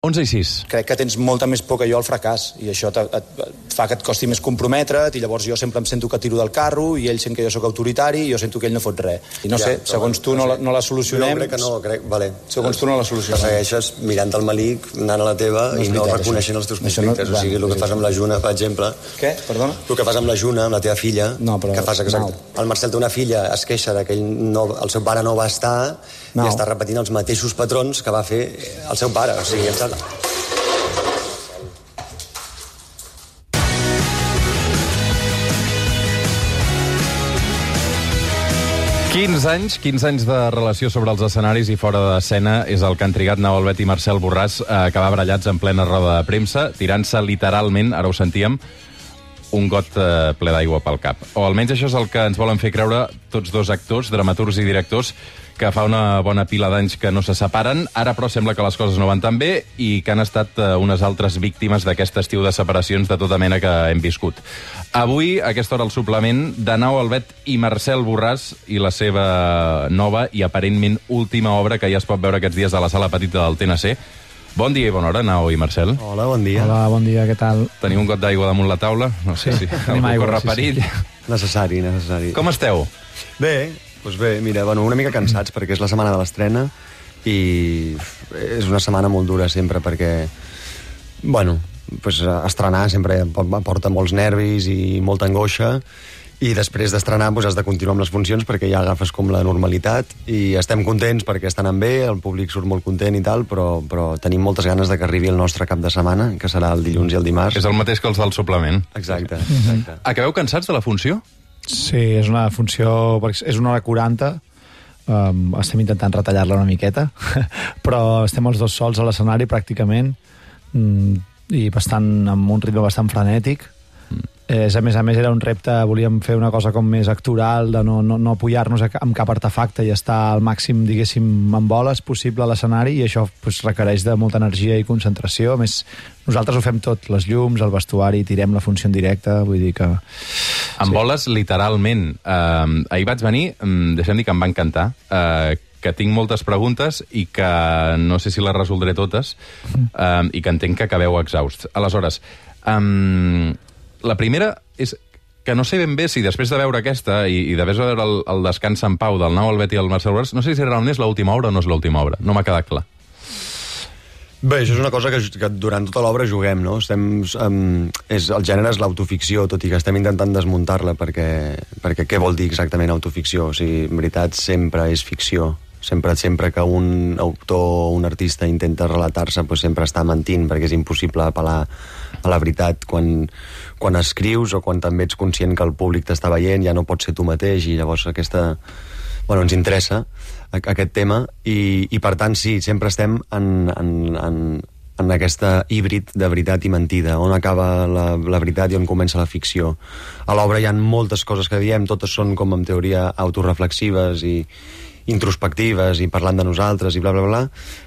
11:06. Crec que tens molta més por que jo al fracàs i això et fa que et costi més comprometre't i llavors jo sempre em sento que tiro del carro i ell sent que jo sóc autoritari i jo sento que ell no fot res. I no sé, segons tu no la solucionem... Jo crec que no, vale. Segons tu no la solucionem. Que segueixes mirant el malic, anant a la teva i no reconeixent els teus conflictes. O sigui, el que fas amb la Juna, per exemple... Què? Perdona? El que fas amb la Juna, amb la teva filla... No, però... Que fas exacte. El Marcel té una filla, es queixa que el seu pare no va estar i està repetint els mateixos patrons que va fer el seu pare. O sigui, em sembla... 15 anys de relació sobre els escenaris i fora d'escena és el que han trigat Nau Albet i Marcel Borràs a acabar barallats en plena roda de premsa, tirant-se literalment, ara ho sentíem, un got ple d'aigua pel cap. O almenys això és el que ens volen fer creure tots dos actors, dramaturgs i directors, que fa una bona pila d'anys que no se separen. Ara, però, sembla que les coses no van tan bé i que han estat unes altres víctimes d'aquest estiu de separacions de tota mena que hem viscut. Avui, a aquesta hora, el suplement de Nau Albet i Marcel Borràs i la seva nova i aparentment última obra que ja es pot veure aquests dies a la sala petita del TNC. Bon dia i bona hora, Nau i Marcel. Hola, bon dia. Hola, bon dia, què tal? Teniu un got d'aigua damunt la taula? No sé si algú corre perill. Necessari. Com esteu? Bé, doncs bé, mira, una mica cansats perquè és la setmana de l'estrena i és una setmana molt dura sempre perquè, estrenar sempre porta molts nervis i molta angoixa i després d'estrenar has de continuar amb les funcions perquè ja agafes com la normalitat i estem contents perquè estan bé, el públic surt molt content i tal, però tenim moltes ganes de que arribi el nostre cap de setmana, que serà el dilluns i el dimarts. És el mateix que els del suplement. Exacte. Acabeu cansats de la funció? Sí, és una funció... És 1h40, estem intentant retallar-la una miqueta, però estem els dos sols a l'escenari pràcticament i amb un ritme bastant frenètic. A més, era un repte, volíem fer una cosa com més actoral, de no apoyar-nos amb cap artefacte i estar al màxim, diguéssim, en boles possible a l'escenari, i això requereix de molta energia i concentració. A més, nosaltres ho fem tot, les llums, el vestuari, tirem la funció en directe, vull dir que... En boles, literalment. Ahir vaig venir, deixem dir que em va encantar, que tinc moltes preguntes i que no sé si les resoldré totes, i que entenc que acabeu exhausts. Aleshores, la primera és que no sé ben bé si després de veure aquesta i de veure el Descans en Pau del Nau Albet i el Marcel Borràs, no sé si realment és l'última obra o no és l'última obra. No m'ha quedat clar. Bé, això és una cosa que durant tota l'obra juguem, no? El gènere és l'autoficció, tot i que estem intentant desmuntar-la, perquè què vol dir exactament autoficció? O sigui, en veritat, sempre és ficció. Sempre que un autor o un artista intenta relatar-se, sempre està mentint, perquè és impossible apel·lar a la veritat quan escrius o quan també ets conscient que el públic t'està veient, ja no pots ser tu mateix, i llavors ens interessa aquest tema, i per tant sí, sempre estem en aquesta híbrid de veritat i mentida, on acaba la veritat i on comença la ficció. A l'obra hi ha moltes coses que diem, totes són com en teoria autoreflexives i introspectives i parlant de nosaltres i bla bla bla,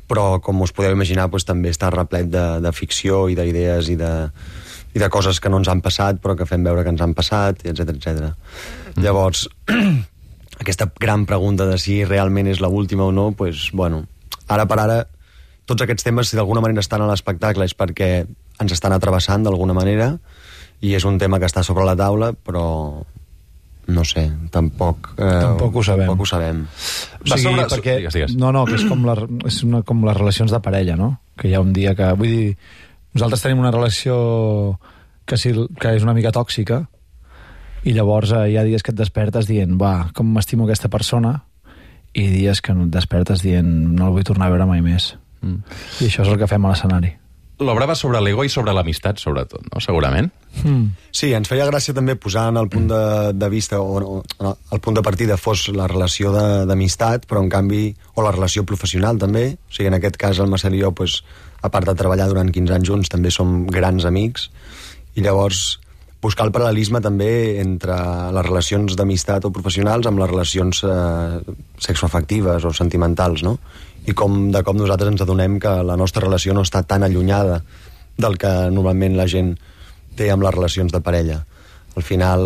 però com us podeu imaginar també està replet de ficció i d'idees i de coses que no ens han passat però que fem veure que ens han passat, etc. Llavors, aquesta gran pregunta de si realment és l'última o no, ara per ara tots aquests temes, si d'alguna manera estan a l'espectacle, és perquè ens estan atrevessant d'alguna manera i és un tema que està sobre la taula, però no sé, tampoc ho sabem. O sigui, perquè... Digues. No, que és com les relacions de parella, no? Que hi ha un dia que... Vull dir, nosaltres tenim una relació que és una mica tòxica i llavors hi ha dies que et despertes dient, com m'estimo aquesta persona, i dies que no et despertes dient, no el vull tornar a veure mai més. I això és el que fem a l'escenari. L'obra va sobre l'ego i sobre l'amistat, sobretot, no? Segurament. Sí, ens feia gràcia també posar en el punt de vista, o el punt de partida fos la relació d'amistat, però en canvi, o la relació professional també, o sigui, en aquest cas el Marcel i jo, a part de treballar durant 15 anys junts, també som grans amics, i llavors buscar el paral·lelisme també entre les relacions d'amistat o professionals amb les relacions sexoafectives o sentimentals, no? I com de cop nosaltres ens adonem que la nostra relació no està tan allunyada del que normalment la gent té amb les relacions de parella. Al final,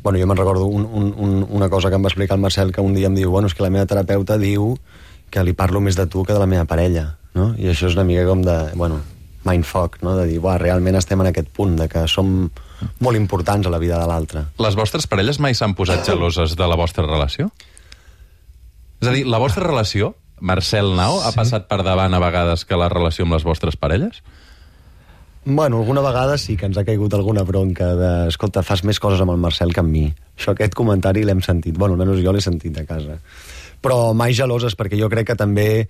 jo me'n recordo una cosa que em va explicar el Marcel, que un dia em diu, és que la meva terapeuta diu que li parlo més de tu que de la meva parella. no? I això és una mica com de, mindfuck, no? De dir, realment estem en aquest punt, de que som molt importants a la vida de l'altre. Les vostres parelles mai s'han posat geloses de la vostra relació? És a dir, la vostra relació, Marcel Nau, ha passat per davant a vegades que la relació amb les vostres parelles? Alguna vegada sí que ens ha caigut alguna bronca de, escolta, fas més coses amb el Marcel que amb mi. Aquest comentari l'hem sentit, almenys jo l'he sentit a casa. Però mai geloses, perquè jo crec que també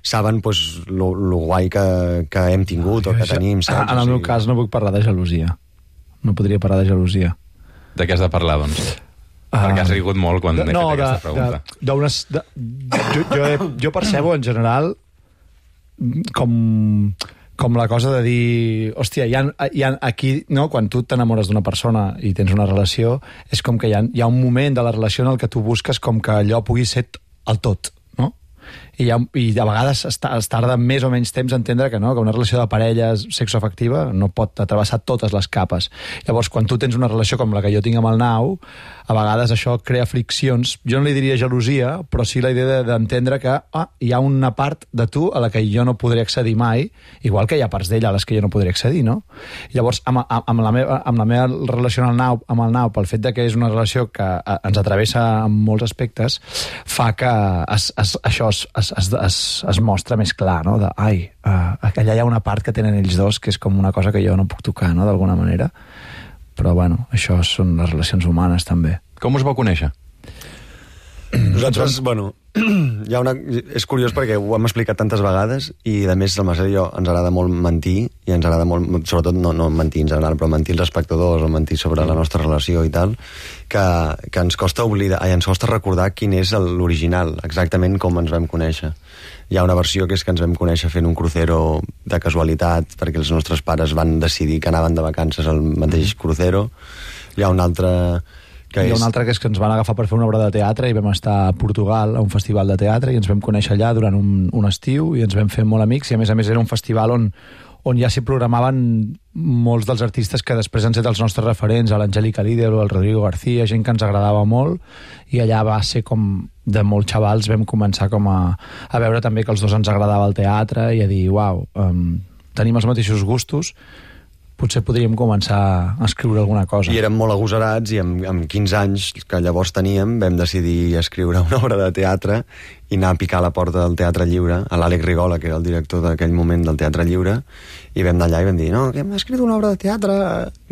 saben lo guai que hem tingut o que tenim, saps? En el meu cas no puc parlar de gelosia. No podria parlar de gelosia. De què has de parlar, doncs? Perquè has rigut molt quan he fet aquesta pregunta. Jo percebo, en general, com la cosa de dir, hòstia, hi ha aquí, no? Quan tu t'enamores d'una persona i tens una relació, és com que hi ha un moment de la relació en el que tu busques com que allò pugui ser el tot, no? I a vegades es tarda més o menys temps a entendre que no, que una relació de parella sexoafectiva no pot atravessar totes les capes. Llavors, quan tu tens una relació com la que jo tinc amb el Nau, a vegades això crea friccions. Jo no li diria gelosia, però sí la idea d'entendre que hi ha una part de tu a la que jo no podré accedir mai, igual que hi ha parts d'ella a les que jo no podré accedir, no? Llavors, amb la meva relació amb el Nau, pel fet de que és una relació que ens atravessa en molts aspectes, fa que això es mostra més clar, no? Allà hi ha una part que tenen ells dos que és com una cosa que jo no puc tocar, no? D'alguna manera. Però, això són les relacions humanes, també. Com us vau conèixer? Nosaltres, és curiós perquè ho hem explicat tantes vegades i, a més, el Marcel i jo ens agrada molt mentir i ens agrada molt, sobretot no mentir en general, però mentir als espectadors o mentir sobre la nostra relació i tal, que ens costa ens costa recordar quin és l'original, exactament com ens vam conèixer. Hi ha una versió que és que ens vam conèixer fent un crucero de casualitat perquè els nostres pares van decidir que anaven de vacances al mateix crucero. Hi ha una altra que és que ens van agafar per fer una obra de teatre i vam estar a Portugal a un festival de teatre i ens vam conèixer allà durant un estiu i ens vam fer molt amics i a més era un festival on ja s'hi programaven molts dels artistes que després han estat els nostres referents, l'Angélica Líder o el Rodrigo García, gent que ens agradava molt, i allà va ser com de molts xavals vam començar com a veure també que els dos ens agradava el teatre i a dir, uau, tenim els mateixos gustos, potser podríem començar a escriure alguna cosa. I érem molt agosarats i amb 15 anys que llavors teníem vam decidir escriure una obra de teatre i anar a picar a la porta del Teatre Lliure a l'Àlex Rigola, que era el director d'aquell moment del Teatre Lliure, i vam anar allà i vam dir, no, que hem escrit una obra de teatre,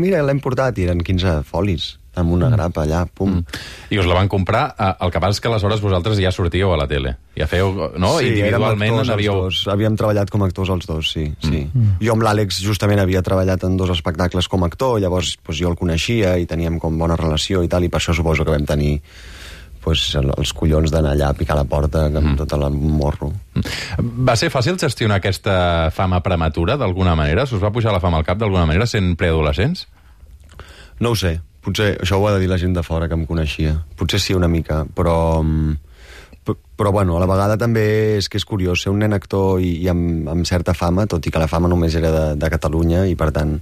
mira, l'hem portat, i eren 15 folis amb una grapa allà, pum. I us la van comprar, el que passa és que aleshores vosaltres ja sortíeu a la tele, ja feu, no? Sí, individualment havíem treballat com a actors els dos, sí. Jo amb l'Àlex justament havia treballat en 2 espectacles com a actor, llavors jo el coneixia i teníem com bona relació i tal, i per això suposo que vam tenir els collons d'anar allà a picar la porta amb tot el morro. Va ser fàcil gestionar aquesta fama prematura d'alguna manera? Us va pujar la fama al cap d'alguna manera sent preadolescents? No ho sé, potser això ho ha de dir la gent de fora que em coneixia. Potser sí una mica, però a la vegada també és que és curiós ser un nen actor i amb certa fama, tot i que la fama només era de Catalunya i per tant,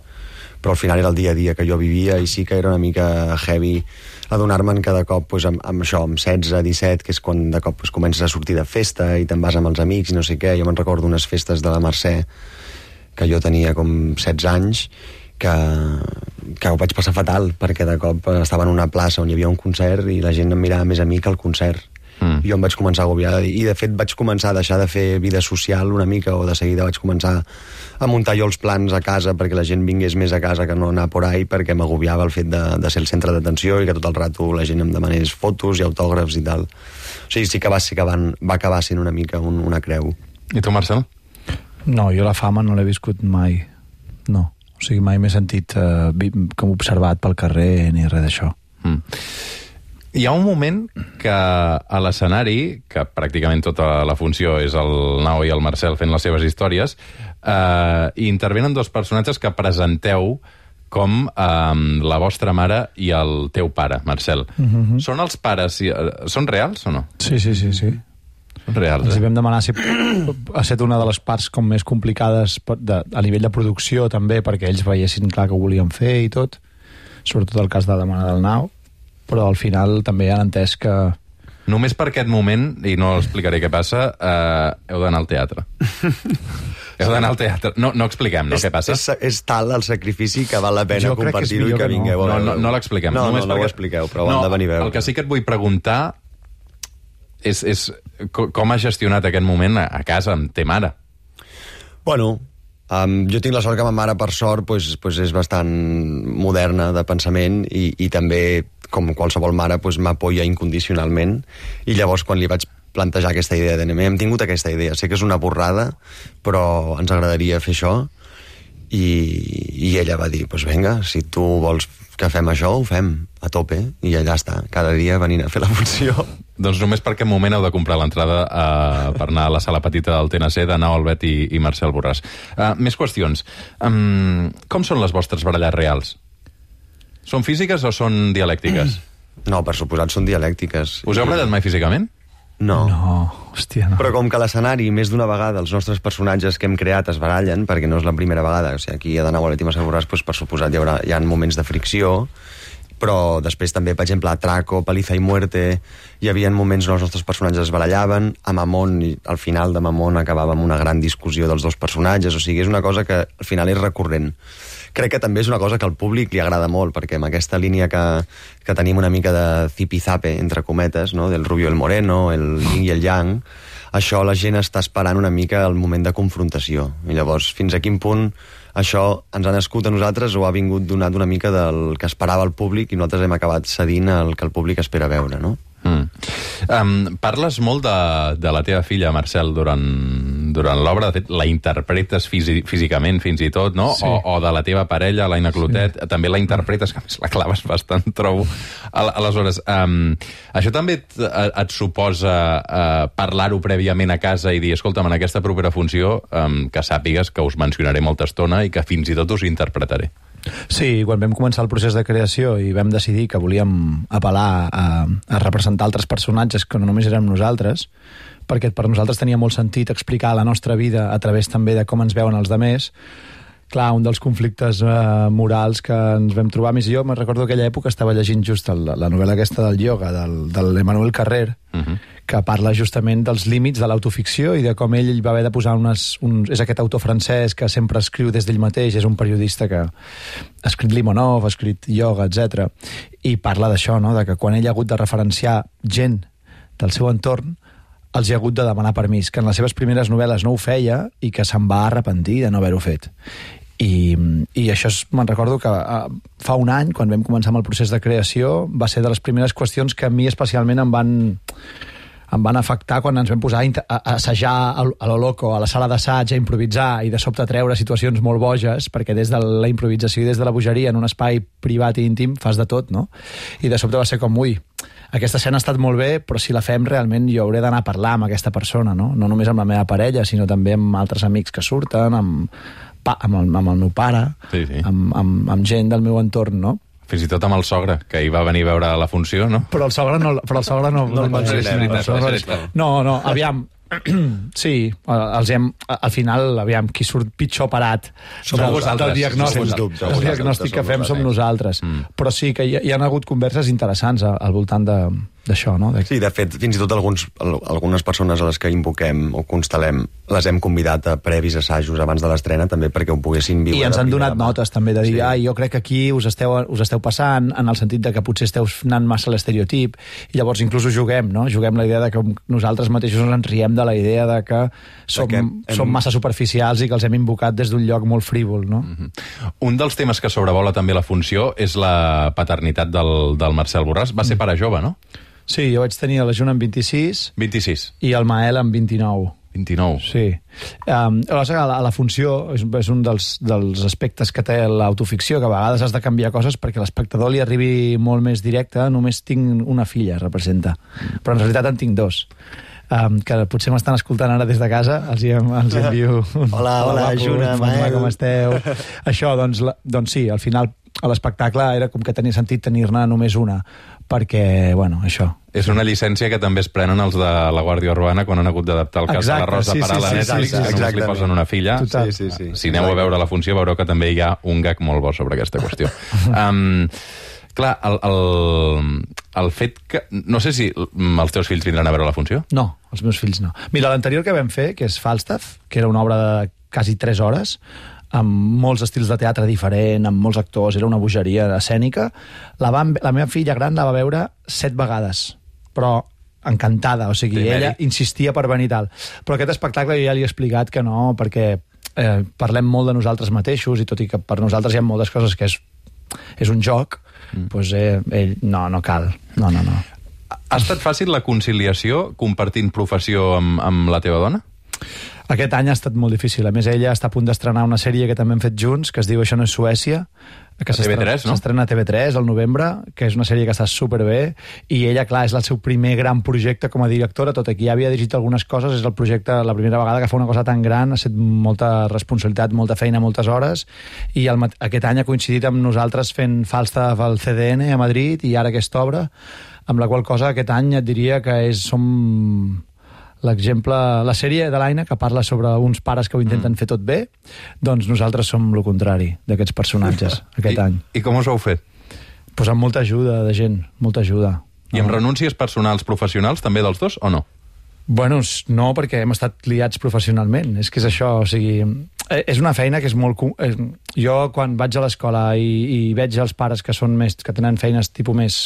però al final era el dia a dia que jo vivia i sí que era una mica heavy adonar-me'n cada cop amb això, amb 16, 17, que és quan de cop comences a sortir de festa i te'n vas amb els amics i no sé què. Jo me'n recordo unes festes de la Mercè que jo tenia com 16 anys que ho vaig passar fatal perquè de cop estava en una plaça on hi havia un concert i la gent em mirava més a mi que al concert. I jo em vaig començar a agobiar i de fet vaig començar a deixar de fer vida social una mica, o de seguida vaig començar a muntar jo els plans a casa perquè la gent vingués més a casa que no anar por ahí, perquè m'agobiava el fet de ser el centre d'atenció i que tot el rato la gent em demanés fotos i autògrafs i tal. O sigui, sí que va acabar sent una mica una creu. I tu, Marcel? No, jo la fama no l'he viscut mai. No. O sigui, mai m'he sentit com observat pel carrer ni res d'això. Hi ha un moment que a l'escenari, que pràcticament tota la funció és el Nau i el Marcel fent les seves històries, i intervenen 2 personatges que presenteu com la vostra mare i el teu pare, Marcel. Són els pares... Són reals o no? Sí. Són reals, Els hi vam demanar si ha estat una de les parts com més complicades a nivell de producció també, perquè ells veiessin clar que ho volien fer i tot, sobretot el cas de la mare del Nau, però al final també han entès que Només per aquest moment, i no explicaré què passa, heu d'anar al teatre. Heu d'anar al teatre. No expliquem, no, què passa? És tal el sacrifici que val la pena compartir-ho i que vingueu a veure. No l'expliquem. No ho expliqueu, però ho han de venir a veure. El que sí que et vull preguntar és com has gestionat aquest moment a casa amb te mare? Bueno, jo tinc la sort que ma mare, per sort, és bastant moderna de pensament i també, com qualsevol mare, m'apoya incondicionalment. I llavors, quan li vaig plantejar aquesta idea de hem tingut aquesta idea, sé que és una borrada, però ens agradaria fer això, i ella va dir, vinga, si tu vols que fem això, ho fem a tope, i allà està, cada dia venint a fer la funció. Doncs només per aquest moment heu de comprar l'entrada per anar a la sala petita del TNC de Nau Albet i Marcel Borràs. Més qüestions. Com són les vostres baralles reals? Són físiques o són dialèctiques? No, per suposat són dialèctiques. Us heu barallat mai físicament? No. Hòstia, no. Però com que a l'escenari, més d'una vegada, els nostres personatges que hem creat es barallen, perquè no és la primera vegada, o sigui, aquí a Nau Albet i Marcel Borràs, per suposat hi ha moments de fricció, però després també, per exemple, a Traco, Paliza i Muerte, hi havia moments on els nostres personatges es barallaven, a Mamón, i al final de Mamón acabava amb una gran discussió dels dos personatges, o sigui, és una cosa que al final és recurrent. Crec que també és una cosa que al públic li agrada molt, perquè amb aquesta línia que tenim una mica de zipizape, entre cometes, no? Del Rubio i el Moreno, el yin i el yang, això la gent està esperant una mica el moment de confrontació. I llavors, fins a quin punt això ens ha nascut a nosaltres o ha vingut donat una mica del que esperava el públic i nosaltres hem acabat cedint el que el públic espera veure, no? Parles molt de la teva filla, Marcel, durant l'obra. De fet, la interpretes físicament, fins i tot, no? Sí. O de la teva parella, l'Aina Clotet, sí. També la interpretes, que a més la claves bastant, trobo. Aleshores, això també et suposa parlar-ho prèviament a casa i dir, escolta'm, en aquesta propera funció, que sàpigues que us mencionaré molta estona i que fins i tot us interpretaré. Sí, quan vam començar el procés de creació i vam decidir que volíem apel·lar a representar altres personatges que no només érem nosaltres, perquè per nosaltres tenia molt sentit explicar la nostra vida a través també de com ens veuen els demés. Clar, un dels conflictes morals que ens vam trobar, més jo me'n recordo aquella època estava llegint just la novel·la aquesta del ioga, de l'Emmanuel Carrer, que parla justament dels límits de l'autoficció i de com ell va haver de posar és aquest autor francès que sempre escriu des d'ell mateix, és un periodista que ha escrit Limonov, ha escrit ioga, etc. I parla d'això, no? De que quan ell ha hagut de referenciar gent del seu entorn, els ha hagut de demanar permís, que en les seves primeres novel·les no ho feia i que se'n va arrepentir de no haver-ho fet. I això me'n recordo que fa un any, quan vam començar amb el procés de creació, va ser de les primeres qüestions que a mi especialment em van afectar quan ens vam posar a assajar a lo loco, a la sala d'assaig, a improvisar i de sobte treure situacions molt boges, perquè des de la improvisació i des de la bogeria en un espai privat i íntim fas de tot, no? I de sobte va ser com, aquesta escena ha estat molt bé, però si la fem realment jo hauré d'anar a parlar amb aquesta persona, no? No només amb la meva parella, sinó també amb altres amics que surten, amb el meu pare, sí. Amb gent del meu entorn, no? Fins i tot amb el sogre, que hi va venir a veure la funció, no? Però el sogre no el mencionem. No, aviam, sí, al final, aviam, qui surt pitjor parat del diagnòstic que fem som nosaltres. Però sí que hi ha hagut converses interessants al voltant d'això, no? Sí, de fet, fins i tot algunes persones a les que invoquem o constel·lem les hem convidat a previs assajos abans de l'estrena, també perquè ho poguessin viure. I ens han donat notes també de dir, jo crec que aquí us esteu passant, en el sentit de que potser esteu anant massa a l'estereotip, i llavors inclús juguem, no? Juguem la idea de que nosaltres mateixos ens riem de la idea de que som massa superficials i que els hem invocat des d'un lloc molt frívol, no? Un dels temes que sobrevola també la funció és la paternitat del Marcel Borràs. Va ser pare jove, no? Sí, jo vaig tenir la Juna amb 26 i el Mael amb 29. 29. Sí. Aleshores, a la funció és un dels aspectes que té l'autoficció, que a vegades has de canviar coses perquè l'espectador li arribi molt més directe. Només tinc una filla, representa. Però en realitat en tinc dos. Que potser m'estan escoltant ara des de casa, els envio Hola, Juna, Mael. Com esteu? Això, doncs sí, al final a l'espectacle era com que tenia sentit tenir-ne només una, perquè, això. És una llicència que també es prenen els de la Guàrdia Urbana quan han hagut d'adaptar el cas de la Rosa per a la Netflix, i només li posen una filla. Sí. Si aneu a veure la funció veureu que també hi ha un gag molt bo sobre aquesta qüestió. Clar, el fet que... No sé si els teus fills vindran a veure la funció. No, els meus fills no. Mira, l'anterior que vam fer, que és Falstaff, que era una obra de quasi 3 hores, amb molts estils de teatre diferent, amb molts actors, era una bogeria escènica, la meva filla gran la va veure 7 vegades, però encantada, o sigui, ella insistia per venir tal. Però aquest espectacle jo ja li he explicat que no, perquè parlem molt de nosaltres mateixos, i tot i que per nosaltres hi ha moltes coses que és un joc, doncs ell, no cal. No. Ha estat fàcil la conciliació compartint professió amb la teva dona? Aquest any ha estat molt difícil. A més, ella està a punt d'estrenar una sèrie que també hem fet junts, que es diu Això no és Suècia, que s'estrena a TV3 al novembre, que és una sèrie que està superbé, i ella, clar, és el seu primer gran projecte com a directora, tot i que ja havia dirigit algunes coses, és el projecte, la primera vegada que fa una cosa tan gran, ha estat molta responsabilitat, molta feina, moltes hores, i aquest any ha coincidit amb nosaltres fent Falstaff al CDN a Madrid, i ara aquesta obra, amb la qual cosa aquest any et diria que som... l'exemple, la sèrie de l'Aina, que parla sobre uns pares que ho intenten fer tot bé, doncs nosaltres som el contrari d'aquests personatges aquest any. I com us ho heu fet? Pues amb molta ajuda de gent, molta ajuda. I amb renúncies personals professionals també dels dos, o no? Bueno, no, perquè hem estat liats professionalment, és que és això, o sigui, és una feina que és molt... Jo, quan vaig a l'escola i veig els pares que tenen feines tipus més...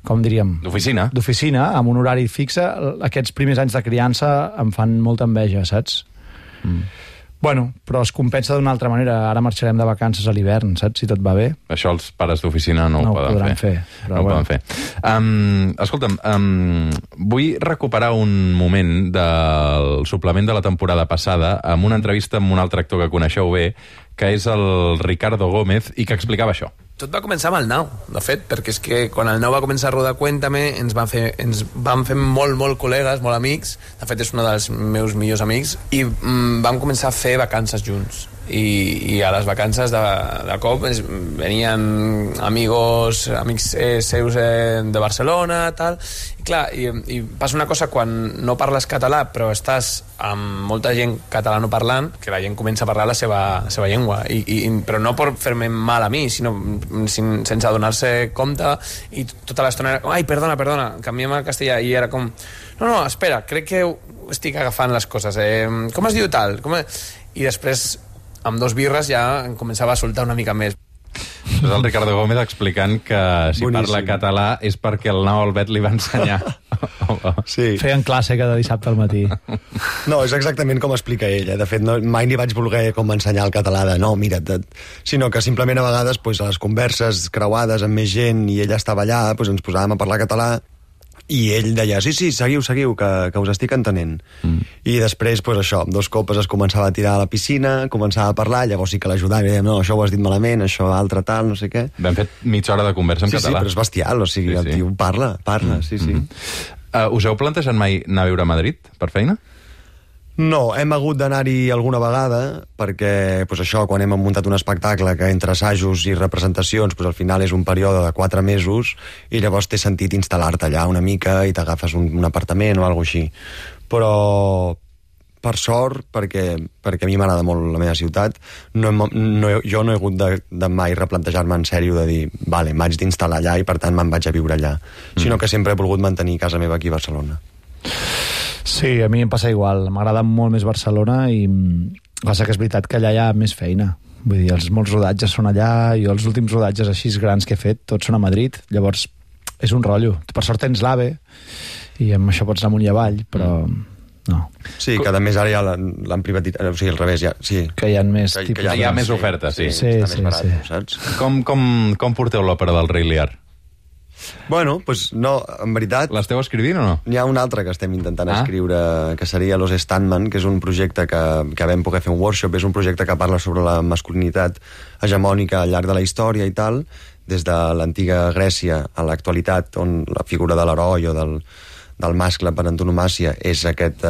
com diríem... D'oficina, amb un horari fixe, aquests primers anys de criança em fan molta enveja, saps? Bueno, però es compensa d'una altra manera. Ara marxarem de vacances a l'hivern, saps? Si tot va bé. Això els pares d'oficina no ho poden fer. No ho poden fer. Escolta'm, vull recuperar un moment del suplement de la temporada passada amb una entrevista amb un altre actor que coneixeu bé, que és el Ricardo Gómez, i que explicava això. Tot va començar amb el Nau, de fet, perquè és que quan el Nau va començar a rodar Cuéntame ens vam fer molt col·legues, molt amics, de fet és un dels meus millors amics, i vam començar a fer vacances junts. I a les vacances de cop venien amics seus de Barcelona, tal, i clar, i passa una cosa quan no parles català però estàs amb molta gent catalanoparlant, que la gent comença a parlar la seva llengua, però no per fer-me mal a mi, sinó sense adonar-se compte, i tota l'estona era com, ai, perdona, canviem al castellà, i era com, no, espera, crec que estic agafant les coses, com es diu tal? I després amb 2 birres ja em començava a soltar una mica més. És el Ricardo Gómez explicant que si parla català és perquè el Nau Albet li va ensenyar. Sí. Feien classe cada dissabte al matí. No, és exactament com explica ell. De fet, mai ni vaig voler com ensenyar el català de no, mira't, sinó que simplement a vegades a les converses creuades amb més gent i ell estava allà, ens posàvem a parlar català, i ell deia, sí, seguiu, que us estic entenent. I després, això, amb 2 copes es començava a tirar a la piscina, començava a parlar, llavors sí que l'ajudava, i dèiem, no, això ho has dit malament, això altre tal, no sé què. Vam fer mitja hora de conversa en català. Sí, però és bestial, o sigui, el tio parla, sí. Us heu plantejat mai anar a viure a Madrid, per feina? No, hem hagut d'anar-hi alguna vegada, perquè això, quan hem muntat un espectacle que entre assajos i representacions al final és un període de 4 mesos, i llavors té sentit instal·lar-te allà una mica i t'agafes un apartament o alguna cosa així. Però, per sort, perquè a mi m'agrada molt la meva ciutat, jo no he hagut de mai replantejar-me en sèrio de dir, vale, m'haig d'instal·lar allà i per tant me'n vaig a viure allà, sinó que sempre he volgut mantenir casa meva aquí a Barcelona. Sí, a mi em passa igual. M'agrada molt més Barcelona i passa que és veritat que allà hi ha més feina. Vull dir, molts rodatges són allà, i els últims rodatges així grans que he fet, tots són a Madrid, llavors és un rotllo. Per sort tens l'AVE i amb això pots anar amunt i avall, però no. Sí, que a més ara ja l'han privatitzat, o sigui, al revés, ja, sí. Que hi ha més tipus... Hi ha més oferta, sí. Està més barat, saps? Com porteu l'òpera del Rei Lear? Bueno, no, en veritat... L'esteu escrivint o no? N'hi ha un altre que estem intentant escriure, que seria Los Standman, que és un projecte que vam poder fer un workshop, és un projecte que parla sobre la masculinitat hegemònica al llarg de la història i tal, des de l'antiga Grècia a l'actualitat, on la figura de l'heroi o del mascle per antonomàsia és aquest,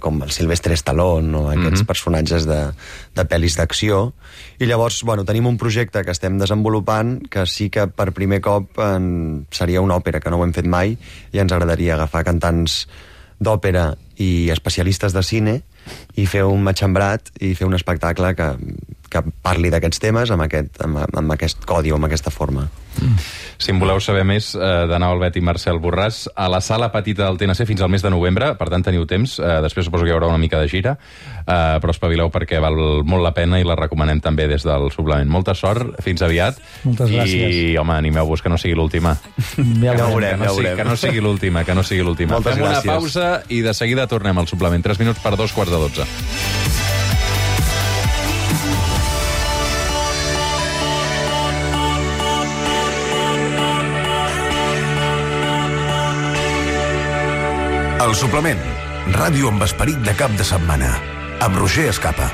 com el Sylvester Stallone o aquests personatges de pel·lis d'acció, i llavors tenim un projecte que estem desenvolupant que sí que per primer cop seria una òpera, que no ho hem fet mai, i ens agradaria agafar cantants d'òpera i especialistes de cine i fer un matxembrat i fer un espectacle que que parli d'aquests temes amb aquest codi o amb aquesta forma. Si en voleu saber més de Nau Albet i Marcel Borràs, a la sala petita del TNC fins al mes de novembre, per tant teniu temps, després suposo que hi haurà una mica de gira, però espavileu perquè val molt la pena i la recomanem també des del suplement. Molta sort, fins aviat. Moltes gràcies. I, home, animeu-vos, que no sigui l'última. Ja ho veurem. Que no sigui l'última, que no sigui l'última. Moltes Fem gràcies. una pausa i de seguida tornem al suplement. 3 minuts per 2:15. El suplement, ràdio amb esperit de cap de setmana, amb Roger Escapa.